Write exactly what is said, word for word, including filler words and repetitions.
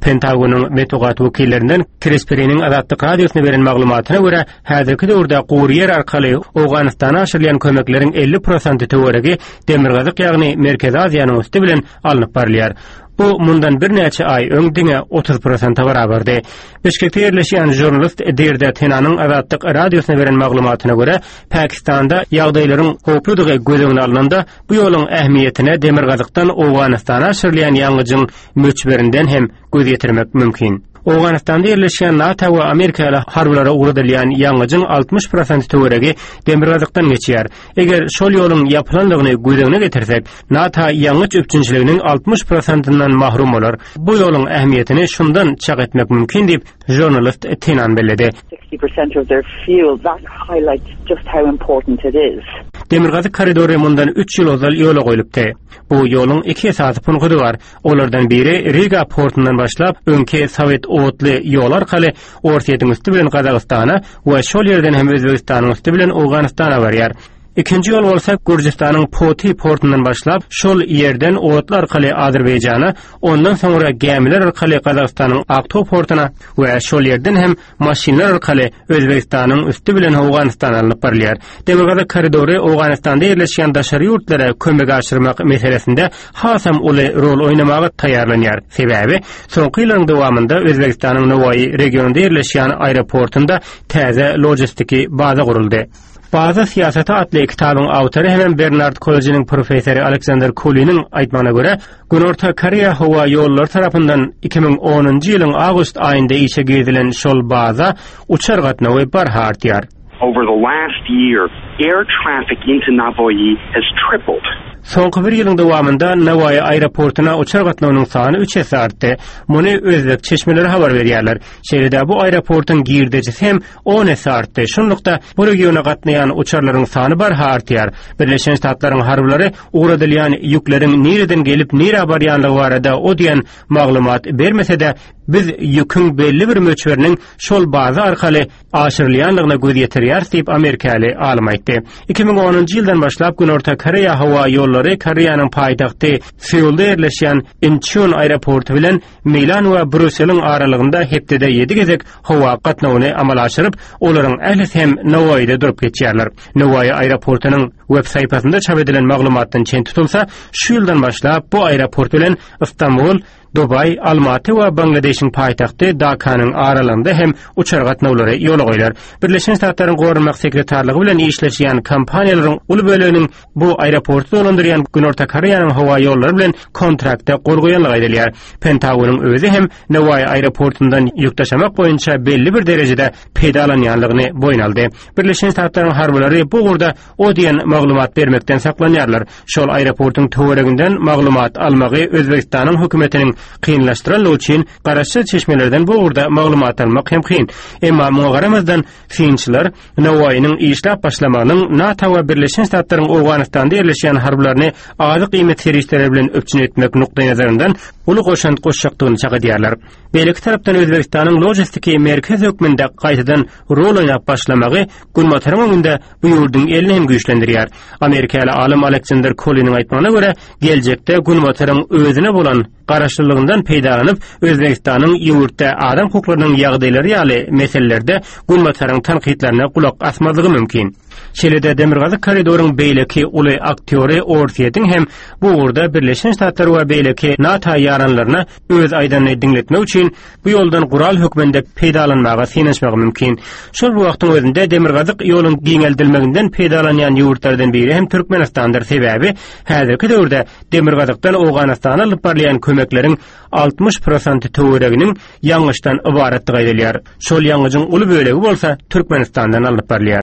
Pentagonyň metbugat wekillerinden Kris Periniň Azatlyk Radiosyna beren maglumatyna görä, häzirki döwürde gury ýer arkaly Owganystana aşyrylýan kömekleriň elli prosenti töweregi Demirgazyk, ýagny Merkezi Aziýanyň üsti bilen alnyp barylýar. Bu mundan birnäçe aý öň diňe otuz prosente barabardy. Bişkekde ýerleşýän žurnalist Dirde Tenanyň Azatlyk Radiosyna beren maglumatyna görä, Pakistanda ýagdaýlaryň howpludygy göz öňüne alnanda, bu ýoluň ähmiýetine Demirgazykdan Owganystana aşyrylýan ýangyjyň möçberinden hem göz ýetirmek mümkin. Owganystanda ýerleşýän NATO we Amerikaly harbylara ugradylýan ýangyjyň altmyş prosenti töweregi Demirgazykdan geçýär. Eger şol ýoluň ýapylandygyny göz öňüne getirsek, NATO ýangyç üpjünçiliginiň altmyş prosentinden mahrum bolar. Bu ýoluň ähmiýetini şundan çak etmek mümkin diýip, žurnalist Tenan belledi. sixty percent of their fuel, that highlights just how important it is. Demirgazyk koridory mundan üç ýyl ozal ýola goýlupdy. Bu ýoluň iki esasy punkty bar. Olardan biri Riga portundan başlap, öňki Sowet otly ýol arkaly Orsýetiň üsti bilen Gazagystana we şol ýerden hem Özbegistanyň üsti bilen Owganystana barýar. Ikinji ýol bolsa Gürjüstanyň Poti portundan başlap, şol ýerden otly arkaly Azerbaýjana, ondan soňra gämiler arkaly Gazagystanyň Aktow portuna we şol ýerden hem maşynlar arkaly Özbegistanyň üsti bilen Owganystana alnyp barylýar. Demirgazyk koridory Owganystanda ýerleşýän daşary ýurtlara kömek aşyrmak meselesinde hasam uly rol oýnamaga taýýarlanýar. Sebäbi soňky ýyllaryň dowamynda Özbegistanyň Nowaýy regionynda ýerleşýän aeroportunda täze logistiki baza guruldy. Baza syýasaty atly kitabyň awtory hem Bernard Kolejiniň professory Aleksander Kuliniň aýtmagyna görä, Günorta Koreýa howa ýollary tarapyndan iki müň onunjy ýylyň awgust aýynda işe girizilen şol baza uçar gatnawy barha artýar. Over the last year, air traffic into Navoiy has tripled. Soňky bir ýylyň dowamynda Nowaýy aeroportuna uçar gatnawynyň sany üç esse artdy. Muny özbek çeşmeleri habar berýärler. Şeýle-de bu aeroportuň girdejisi hem on esse artdy. Şunlukda bu regiona gatnaýan uçarlaryň sany barha artýar. Birleşen Ştatlaryň harbylary ugradylýan ýükleriň nireden gelip nirä barýanlygy barada o diýen maglumat bermese-de, biz ýüküň belli bir möçberiniň şol baza arkaly aşyrylýanlygyna göz ýetirýäris diýip Amerikaly alym aýtdy. Iki müň onunjy ýyldan başlap Günorta Koreýa howa ýollary Koreýanyň paýtagty Seulda ýerleşýän Incheon aeroporty bilen Milan we Brýusseliň aralygynda hepdede ýedi gezek howa gatnawyny amala aşyryp, olaryň ählisi hem Nowaýyda durup geçýärler. Nowaýy aeroportunyň web saýpasynda çap edilen maglumatdan çen tutulsa, şu ýyldan başlap bu aeroport bilen Istanbul, Dubaý, Almaty we Bangladeşiň paýtagty Dakanyň aralygynda hem uçar gatnawlary ýola goýlar. Birleşen Ştatlaryň Goranmak sekretarlygy bilen işleşýän kompaniýalaryň uly böleginiň bu aeroporty dolandyrýan Günorta Koreýanyň howa ýollary bilen kontrakta gol goýanlygy aýdylýar. Pentagonyň özi hem Nowaýy aeroportundan ýük daşamak boýunça belli bir derejede peýdalanýanlygyny boýun aldy. Birleşen Ştatlaryň harbylary bu ugurda o diýen maglumat bermekden saklanýarlar. Şol aeroportuň töwereginden maglumat almagy Özbegistanyň hökümetiniň kynlaşdyranlygy üçin garaşsyz çeşmelerden bu ugurda maglumat almak hem kyn. Emma muňa garamazdan synçylar Nowaýynyň işläp başlamagynyň NATO we Birleşen Ştatlaryň Owganystanda ýerleşýän harbylaryny azyk iýmit serişdeleri bilen üpjün etmek nukdaýnazaryndan uly goşant goşjakdygyny çak edýärler. Beýleki tarapdan Özbegistanyň logistiki merkez hökmünde gaýtadan rol oýnap başlamagy Günbataryň öňünde bu ýurduň elini hem güýçlendirýär. Amerikaly alym Aleksander Koliniň aýtmagyna görä, geljekde Günbataryň özüne bolan garaşlylygyndan peýdalanyp, Özbegistanyň ýurtda adam hukuklarynyň ýagdaýlary ýaly meselelerde Günbataryň tankytlaryna gulak asmazlygy mümkin. Şeýle-de Demirgazyk koridoryň beýleki uly aktýory Orsýetiň hem bu ugurda Birleşen Ştatlar we beýleki NATO ýaranlaryna öz aýdanyny diňletmek üçin bu ýoldan gural hökmünde peýdalanmaga synanyşmagy mümkin. Şol bir wagtyň özünde Demirgazyk ýoluň giňeldilmeginden peýdalanýan ýurtlardan biri hem Türkmenistandyr. Sebäbi häzirki döwürde Demirgazykdan Owganystana alyp barylýan kömekleriň altmyş prosenti töwereginiň ýangyçdan ybaratdygy aýdylýar. Şol ýangyjyň uly bölegi bolsa Türkmenistandan alnyp barylýar.